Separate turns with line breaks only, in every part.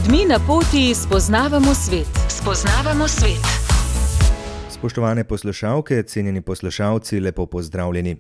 Ljudmi na poti spoznavamo svet. Spoznavamo svet.
Spoštovane poslušalke, cenjeni poslušalci, lepo pozdravljeni.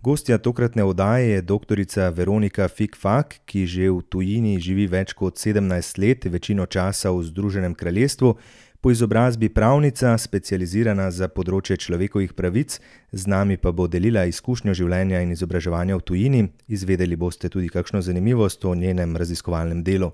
Gostja tokratne oddaje je doktorica Veronika Fikfak, ki že v tujini živi več kot 17 let, večino časa v Združenem kraljestvu, po izobrazbi pravnica, specializirana za področje človekovih pravic, z nami pa bo delila izkušnjo življenja in izobraževanja v tujini. Izvedeli boste tudi kakšno zanimivost o njenem raziskovalnem delu.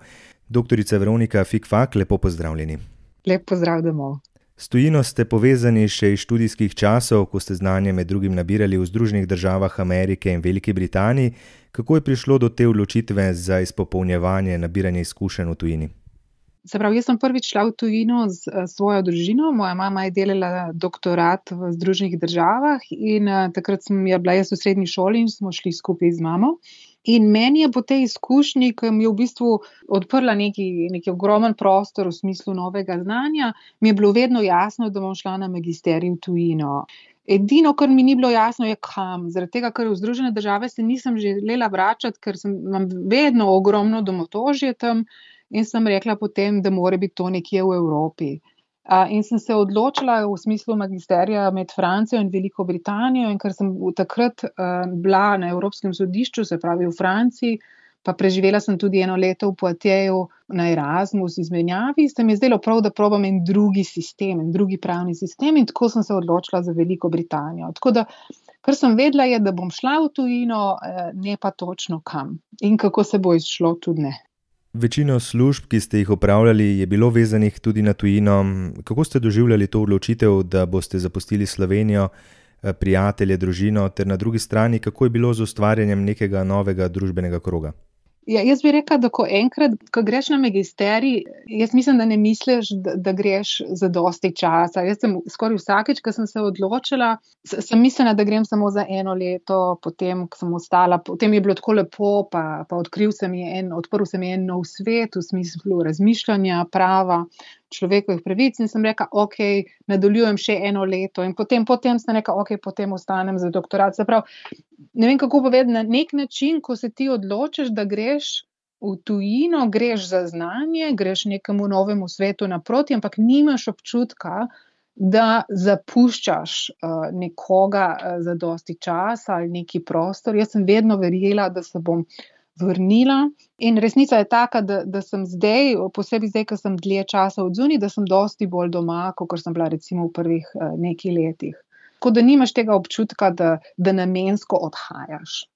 Doktorica Veronika Fikfak, lepo pozdravljeni.
Lep pozdrav domov.
S tujino ste povezani še iz študijskih časov, ko ste znanje med drugim nabirali v Združenih državah Amerike in Veliki Britaniji. Kako je prišlo do te odločitve za izpopolnjevanje nabiranja izkušenj v tujini?
Se pravi, jaz sem prvič šla v tujino s svojo družino. Moja mama je delala doktorat v Združenih državah in takrat sem bila jaz v srednji šoli in smo šli skupaj z mamo. In meni je po tej izkušnji, ki mi je v bistvu odprla neki ogromen prostor v smislu novega znanja, mi je bilo vedno jasno, da bom šla na magisterij v tujino. Edino, kar mi ni bilo jasno, je kam. Zaradi tega, ker v Združene države se nisem želela vračati, ker imam vedno ogromno domotožje tam in sem rekla potem, da mora biti to nekje v Evropi. In sem se odločila v smislu magisterija med Francijo in Veliko Britanijo, in ker sem takrat bila na Evropskem sodišču, se pravi v Franciji, pa preživela sem tudi 1 leto v Poitiersu na Erasmus izmenjavi, se mi je zdelo prav, da probam en drugi sistem, en drugi pravni sistem, in tako sem se odločila za Veliko Britanijo. Tako da, kar sem vedela je, da bom šla v tujino, ne pa točno kam. In kako se bo izšlo, tudi ne.
Večino služb, ki ste jih opravljali, je bilo vezanih tudi na tujino. Kako ste doživljali to odločitev, da boste zapustili Slovenijo, prijatelje, družino, ter na drugi strani, kako je bilo z ustvarjanjem nekega novega družbenega kroga?
Ja, jaz bi rekla, da ko greš na magisterij, jaz mislim, da ne misliš, da greš za dosti časa. Jaz sem skoraj vsakič, ko sem se odločila, sem mislila, da grem samo za 1 leto, potem, ko sem ostala, potem je bilo tako lepo, pa odprl se mi je en nov svet v smislu razmišljanja, prava, človekovih pravic, in sem rekla, ok, nadaljujem še 1 leto, in potem sem rekla, ok, potem ostanem za doktorat. Se pravi, ne vem, kako povedati, na nek način, ko se ti odločiš, da greš v tujino, greš za znanje, greš nekemu novemu svetu naproti, ampak nimaš občutka, da zapuščaš nekoga za dosti časa ali neki prostor. Jaz sem vedno verjela, da se bom vrnila, in resnica je taka, da sem zdaj, posebej zdaj, ko sem dlje časa odzunaj, da sem dosti bolj doma, kot sem bila recimo v prvih nekaj letih. Tako da nimaš tega občutka, da namensko odhajaš.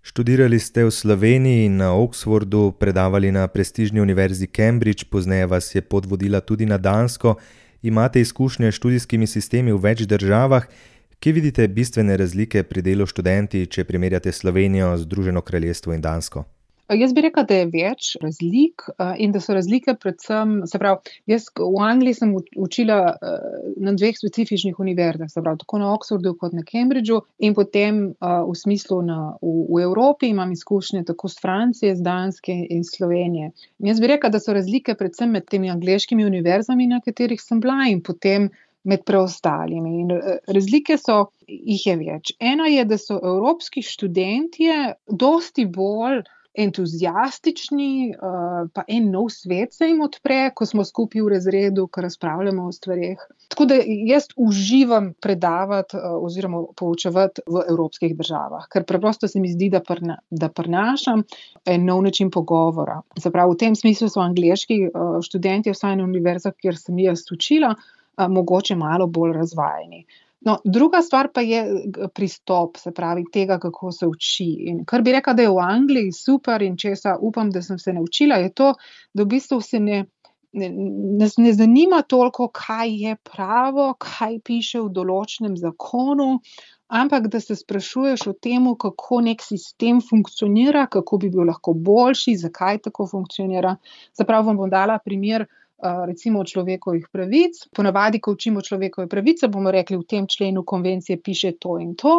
Študirali ste v Sloveniji in na Oxfordu, predavali na prestižni univerzi Cambridge, pozneje vas je pot vodila tudi na Dansko. Imate izkušnje s študijskimi sistemi v več državah. Kje vidite bistvene razlike pri delu študenti, če primerjate Slovenijo, Združeno kraljestvo in Dansko?
Jaz bi rekla, da je več razlik in da so razlike predvsem, se pravi, jaz v Angliji sem učila na 2 specifičnih univerzah, se pravi, tako na Oxfordu kot na Cambridgeu, in potem v smislu v Evropi imam izkušnje tako z Francije, z Danske in Slovenije. In jaz bi rekla, da so razlike predvsem med temi angleškimi univerzami, na katerih sem bila, in potem med preostalimi. In razlike jih je več. Ena je, da so evropski študentje dosti bolj entuzijastični, pa en nov svet se jim odpre, ko smo skupaj v razredu, ko razpravljamo o stvareh. Tako da jaz uživam predavati oziroma poučevati v evropskih državah, ker preprosto se mi zdi, da prinašam en nov način pogovora. Se pravi, v tem smislu so angleški študentje, vsaj na univerzah, kjer sem jaz učila, mogoče malo bolj razvajeni. No, druga stvar pa je pristop, se pravi, tega, kako se uči. In kar bi rekla, da je v Angliji super in česa upam, da sem se naučila, je to, da v bistvu se ne zanima toliko, kaj je pravo, kaj piše v določenem zakonu, ampak da se sprašuješ o tem, kako nek sistem funkcionira, kako bi bil lahko boljši, zakaj tako funkcionira. Se pravi, vam bom dala primer, recimo človekovih pravic. Ponavadi, ko učimo človekove pravice, bomo rekli, v tem členu konvencije piše to in to.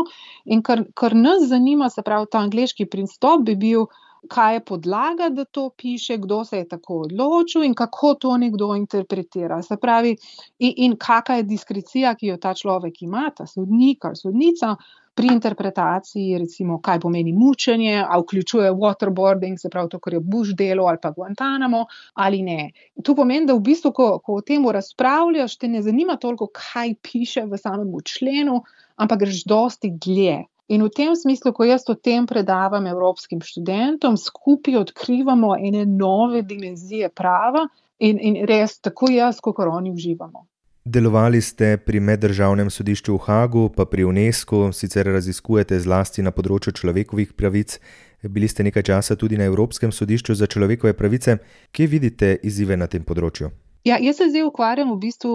In kar nas zanima, se pravi, ta angleški pristop bi bil, kaj je podlaga, da to piše, kdo se je tako odločil in kako to nekdo interpretira. Se pravi, in kakšna je diskrecija, ki jo ta človek ima, ta sodnik ali sodnica, pri interpretaciji, recimo, kaj pomeni mučenje, ali vključuje waterboarding, se pravi to, kar je Bush delal, ali pa Guantanamo, ali ne. To pomeni, da v bistvu, ko o tem razpravljaš, te ne zanima toliko, kaj piše v samem členu, ampak greš dosti dlje. In v tem smislu, ko jaz o tem predavam evropskim študentom, skupaj odkrivamo ene nove dimenzije prava in res tako jaz, kot oni uživamo.
Delovali ste pri Meddržavnem sodišču v Haagu, pa pri UNESCO, sicer raziskujete zlasti na področju človekovih pravic. Bili ste nekaj časa tudi na Evropskem sodišču za človekove pravice. Kje vidite izzive na tem področju?
Ja, jaz se zdaj ukvarjam v bistvu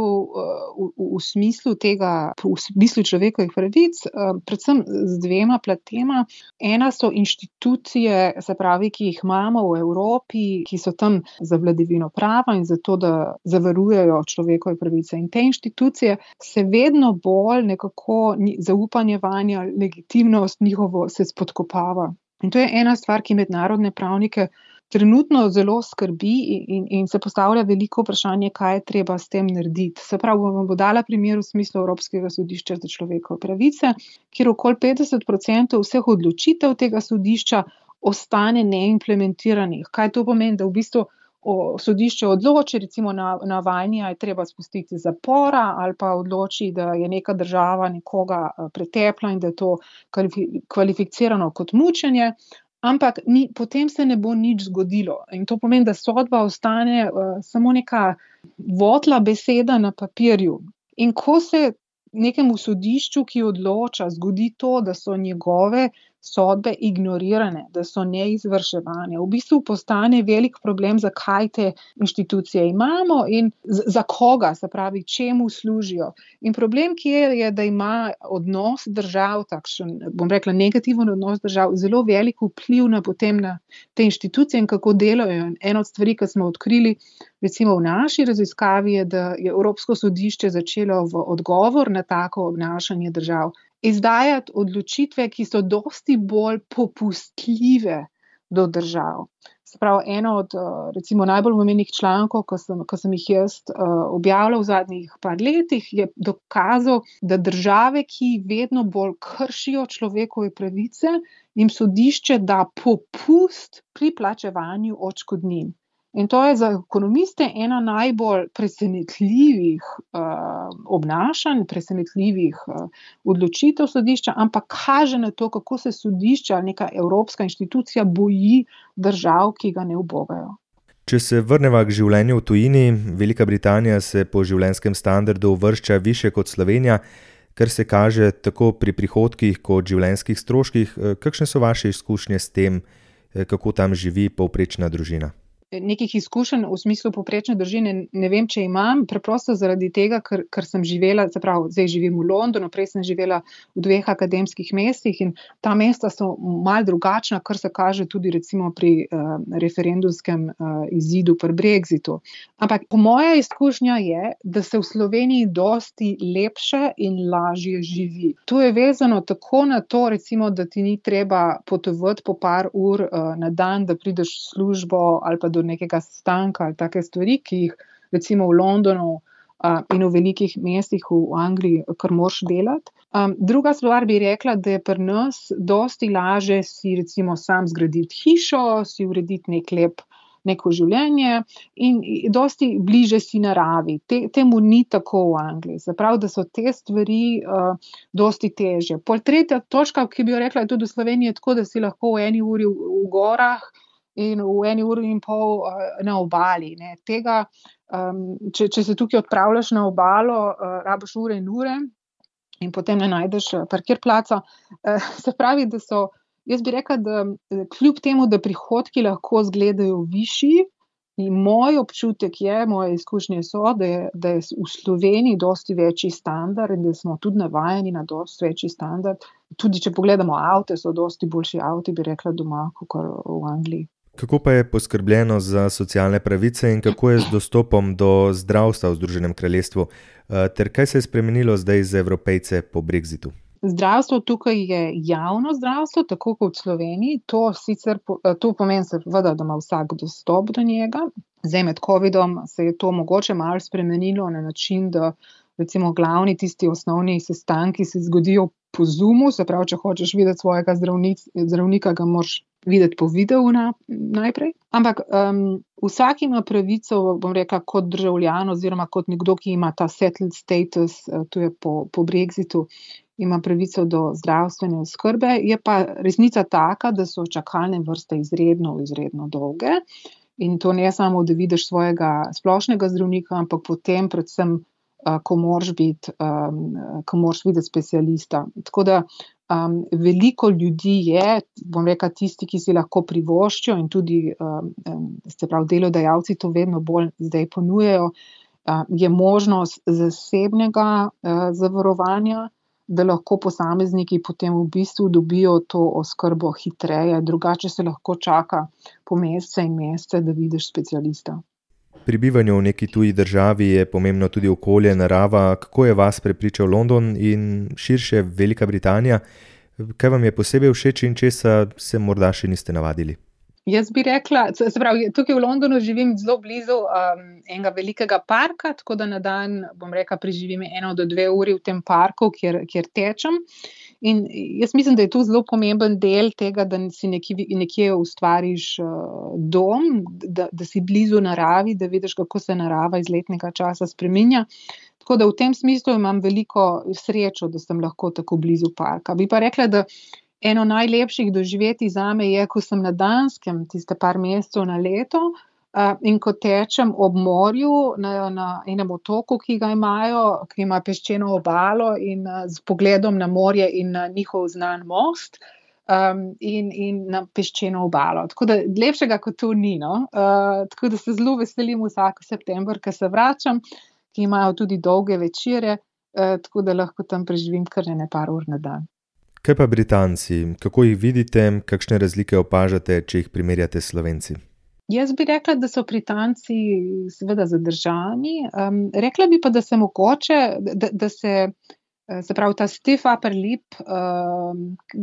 v smislu tega, v smislu človekovih pravic, predvsem z dvema platema. Ena so inštitucije, se pravi, ki jih imamo v Evropi, ki so tam za vladavino prava in zato, da zavarujejo človekove pravice. In te inštitucije se vedno bolj nekako zaupanje vanje, legitimnost njihovo se spodkopava. In to je ena stvar, ki mednarodne pravnike trenutno zelo skrbi in se postavlja veliko vprašanje, kaj je treba s tem narediti. Se pravi, bom dala primer v smislu Evropskega sodišča za človekove pravice, kjer okoli 50% vseh odločitev tega sodišča ostane neimplementiranih. Kaj to pomeni, da v bistvu sodišče odloči, recimo Navalnija je treba spustiti iz zapora, ali pa odloči, da je neka država nekoga pretepla in da je to kvalificirano kot mučenje. Ampak potem se ne bo nič zgodilo. In to pomeni, da sodba ostane samo neka votla beseda na papirju. In ko se nekemu sodišču, ki odloča, zgodi to, da so njegove sodbe ignorirane, da so neizvrševane, v bistvu postane velik problem, zakaj te inštitucije imamo in za koga, se pravi, čemu služijo. In problem, ki je, da ima odnos držav, takšen, bom rekla, negativen odnos držav, zelo velik vpliv na te inštitucije in kako delajo. Ena od stvari, ki smo odkrili, recimo v naši raziskavi, je, da je Evropsko sodišče začelo v odgovor na tako obnašanje držav izdajati odločitve, ki so dosti bolj popustljive do držav. Se pravi, eno od recimo najbolj pomembnih člankov, ko sem jih jaz objavila v zadnjih par letih, je dokazal, da države, ki vedno bolj kršijo človekove pravice, jim sodišče da popust pri plačevanju odškodnin. In to je za ekonomiste ena najbolj presenetljivih obnašanj, presenetljivih odločitev sodišča, ampak kaže na to, kako se sodišča, neka evropska inštitucija boji držav, ki ga ne ubogajo.
Če se vrneva k življenju v tujini, Velika Britanija se po življenjskem standardu uvršča više kot Slovenija, kar se kaže tako pri prihodkih kot življenjskih stroških. Kakšne so vaše izkušnje s tem, kako tam živi povprečna družina?
Nekih izkušenj v smislu povprečne družine ne vem, če imam, preprosto zaradi tega, ker sem živela, se pravi, zdaj živim v Londonu, prej sem živela v 2 akademskih mestih in ta mesta so malo drugačna, kar se kaže tudi recimo pri referendumskem izidu pri Brexitu. Ampak po moja izkušnja je, da se v Sloveniji dosti lepše in lažje živi. To je vezano tako na to, recimo, da ti ni treba potovati po par ur na dan, da prideš v službo ali pa do nekega stanka ali take stvari, ki jih recimo v Londonu in v velikih mestih v Angliji kar moraš delati. Druga stvar bi rekla, da je pri nas dosti laže si recimo sam zgraditi hišo, si urediti neko življenje in dosti bliže si naravi. Temu ni tako v Angliji. Zaprav, da so te stvari dosti težje. Pol tretja točka, ki bi jo rekla, je tudi v Sloveniji tako, da si lahko v 1 uri v gorah in v 1 uri in pol na obali. Ne. Tega, če se tukaj odpravljaš na obalo, rabiš ure in ure in potem ne najdeš parkirplaca. Se pravi, da so, jaz bi rekla, da kljub temu, da prihodki lahko izgledajo višji, in moj občutek je, moje izkušnje so, da je v Sloveniji dosti večji standard in da smo tudi navajeni na dosti večji standard. Tudi če pogledamo avte, so dosti boljši avti, bi rekla doma, kot v Angliji.
Kako pa je poskrbljeno za socialne pravice in kako je z dostopom do zdravstva v Združenem kraljestvu? Ter kaj se je spremenilo zdaj za Evropejce po Brexitu?
Zdravstvo tukaj je javno zdravstvo, tako kot v Sloveniji. To pomeni seveda, da ima vsak dostop do njega. Zdaj med covidom se je to mogoče malo spremenilo na način, da recimo glavni tisti osnovni sestanki se zgodijo po Zoomu, se pravi, če hočeš videti svojega zdravnika, ga moraš videti po videu najprej. Ampak vsak ima pravico, bom rekla, kot državljan oziroma kot nekdo, ki ima ta settled status, to je po Brexitu, ima pravico do zdravstvene oskrbe. Je pa resnica taka, da so čakalne vrste izredno, izredno dolge. In to ne samo, da vidiš svojega splošnega zdravnika, ampak potem predvsem, ko moraš videti specialista. Tako da veliko ljudi je, bom rekla, tisti, ki si lahko privoščijo in tudi, se pravi, delodajalci to vedno bolj zdaj ponujajo, je možnost zasebnega zavarovanja, da lahko posamezniki potem v bistvu dobijo to oskrbo hitreje, drugače se lahko čaka po mesece in mesece, da vidiš specialista.
Pri bivanju v neki tuji državi je pomembno tudi okolje, narava. Kako je vas prepričal London in širše Velika Britanija? Kaj vam je posebej všeč in česa se morda še niste navadili?
Jaz bi rekla, se pravi, tukaj v Londonu živim zelo blizu enega velikega parka, tako da na dan, bom rekla, preživim 1 do 2 uri v tem parku, kjer tečem. In jaz mislim, da je to zelo pomemben del tega, da si nekje ustvariš dom, da si blizu naravi, da vidiš, kako se narava iz letnega časa spreminja. Tako da v tem smislu imam veliko srečo, da sem lahko tako blizu parka. Bi pa rekla, da eno najlepših doživetij zame je, ko sem na Danskem, tiste par mesecev na leto, in ko tečem ob morju na enem otoku, ki ga imajo, ki ima peščeno obalo in z pogledom na morje in na njihov znan most, in na peščeno obalo. Tako da lepšega kot to ni, no. Tako da se zelo veselim vsak september, ko se vračam, ki imajo tudi dolge večere, tako da lahko tam preživim kar par ur na dan.
Kaj pa Britanci? Kako jih vidite? Kakšne razlike opažate, če jih primerjate s Slovenci?
Jaz bi rekla, da so Britanci seveda zadržani. Rekla bi pa, da se mogoče, da se pravi ta stiff upper lip,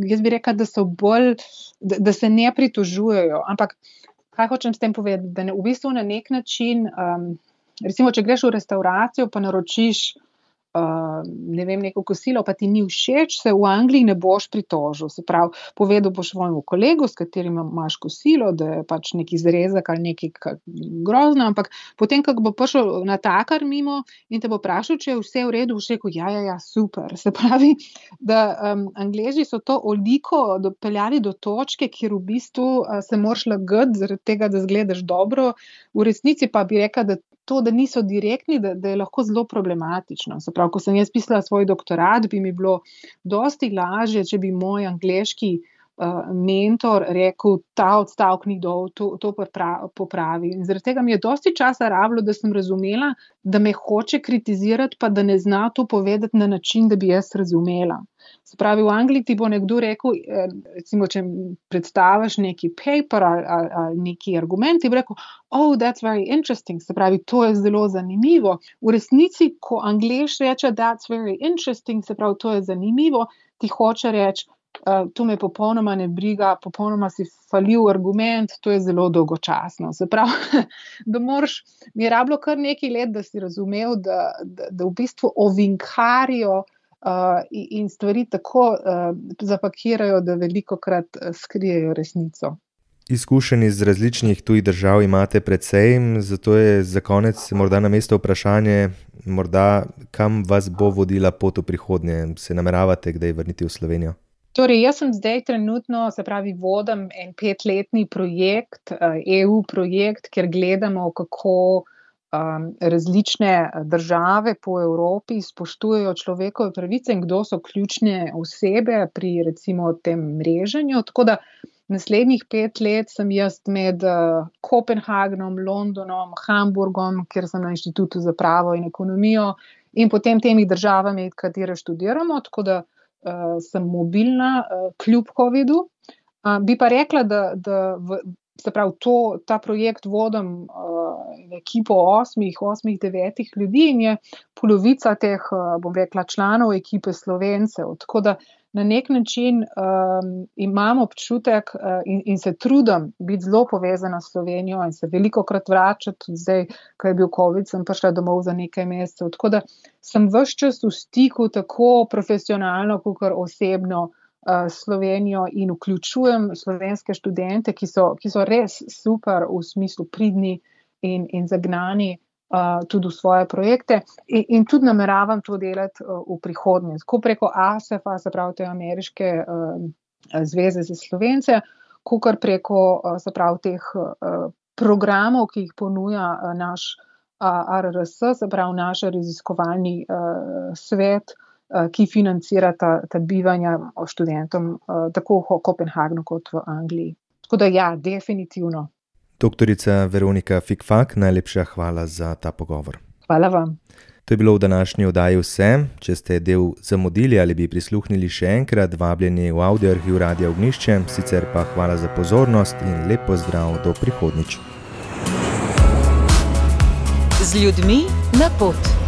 jaz bi rekla, da so bolj, da se ne pritožujejo. Ampak kaj hočem s tem povedati? Da v bistvu na nek način, recimo, če greš v restavracijo, pa naročiš ne vem, neko kosilo, pa ti ni všeč, se v Angliji ne boš pritožil. Se pravi, povedal boš svojemu kolegu, s katerim imaš kosilo, da je pač neki zrezek ali nekaj grozno, ampak potem, ko bo prišel natakar mimo in te bo vprašal, če je vse v redu, boš rekel, ja, super. Se pravi, da Angleži so to oliko dopeljali do točke, kjer v bistvu se moraš lagati zaradi tega, da izgledaš dobro. V resnici pa bi rekla, da to, da niso direktni, da je lahko zelo problematično. Se pravi, ko sem jaz pisala svoj doktorat, bi mi bilo dosti lažje, če bi moj angleški mentor rekel, ta odstavek ni dol, to popravi. In zaradi tega mi je dosti časa rabilo, da sem razumela, da me hoče kritizirati, pa da ne zna to povedati na način, da bi jaz razumela. Se pravi, v Angliji ti bo nekdo rekel, recimo, če predstaviš neki paper ali neki argument, ti bo rekel, oh, that's very interesting, se pravi, to je zelo zanimivo. V resnici, ko Anglež reče, that's very interesting, se pravi, to je zanimivo, ti hoče reči, to me popolnoma ne briga, popolnoma si falil argument, to je zelo dolgočasno. Se pravi, da mi je rabilo kar nekaj let, da si razumel, da v bistvu ovinkarijo in stvari tako zapakirajo, da velikokrat skrijejo resnico.
Izkušenj iz različnih tujih držav imate precej, zato je za konec morda na mesto vprašanje, morda kam vas bo vodila pot v prihodnje, se nameravate kdaj vrniti v Slovenijo?
Torej, jaz sem zdaj trenutno, se pravi, vodim en 5-letni projekt, EU projekt, kjer gledamo, kako različne države po Evropi spoštujejo človekove pravice in kdo so ključne osebe pri recimo tem mreženju. Tako da naslednjih 5 let sem jaz med Kopenhagnom, Londonom, Hamburgom, kjer sem na Inštitutu za pravo in ekonomijo, in potem temi državami, katere študiramo, tako da sem mobilna kljub covidu. Bi pa rekla, da se pravi, ta projekt vodim ekipo 8-9 ljudi in je polovica teh, bom rekla, članov ekipe Slovencev. Tako da na nek način imam občutek in se trudim biti zelo povezana s Slovenijo in se velikokrat vračati. Tudi zdaj, ko je bil COVID, sem prišla domov za nekaj mesecev. Tako da sem ves čas v stiku tako profesionalno, kakor osebno s Slovenijo in vključujem slovenske študente, ki so res super v smislu pridni in zagnani tudi v svoje projekte in tudi nameravam to delati v prihodnje. Tako preko ASEF-a, se pravi te ameriške zveze za Slovence, kakor preko, se pravi, teh programov, ki jih ponuja naš ARRS, se pravi naš raziskovalni svet, ki financira ta bivanja študentom tako v Kopenhagnu kot v Angliji. Tako da ja, definitivno.
Doktorica Veronika Fikfak, najlepša hvala za ta pogovor.
Hvala vam.
To je bilo v današnji oddaji vse. Če ste del zamudili ali bi prisluhnili še enkrat, vabljeni v Audioarhiv Radia Ognjišče, sicer pa hvala za pozornost in lep pozdrav do prihodnjič.
Z ljudmi na pot.